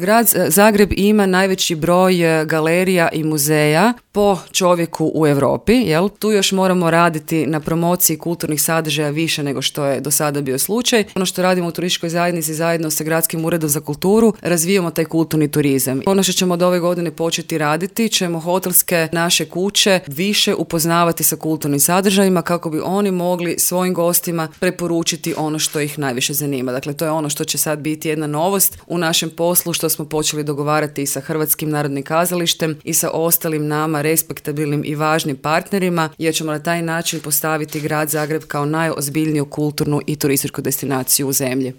Grad Zagreb ima najveći broj galerija i muzeja po čovjeku u Europi, jel? Tu još moramo raditi na promociji kulturnih sadržaja više nego što je do sada bio slučaj. Ono što radimo u turističkoj zajednici zajedno sa Gradskim uredom za kulturu, razvijamo taj kulturni turizam. Ono što ćemo od ove godine početi raditi, ćemo hotelske naše kuće više upoznavati sa kulturnim sadržajima kako bi oni mogli svojim gostima preporučiti ono što ih najviše zanima. Dakle, to je ono što će sad biti jedna novost u našem poslu, što smo počeli dogovarati i sa Hrvatskim narodnim kazalištem i sa ostalim nama respektabilnim i važnim partnerima, jer ćemo na taj način postaviti grad Zagreb kao najozbiljniju kulturnu i turističku destinaciju u zemlji.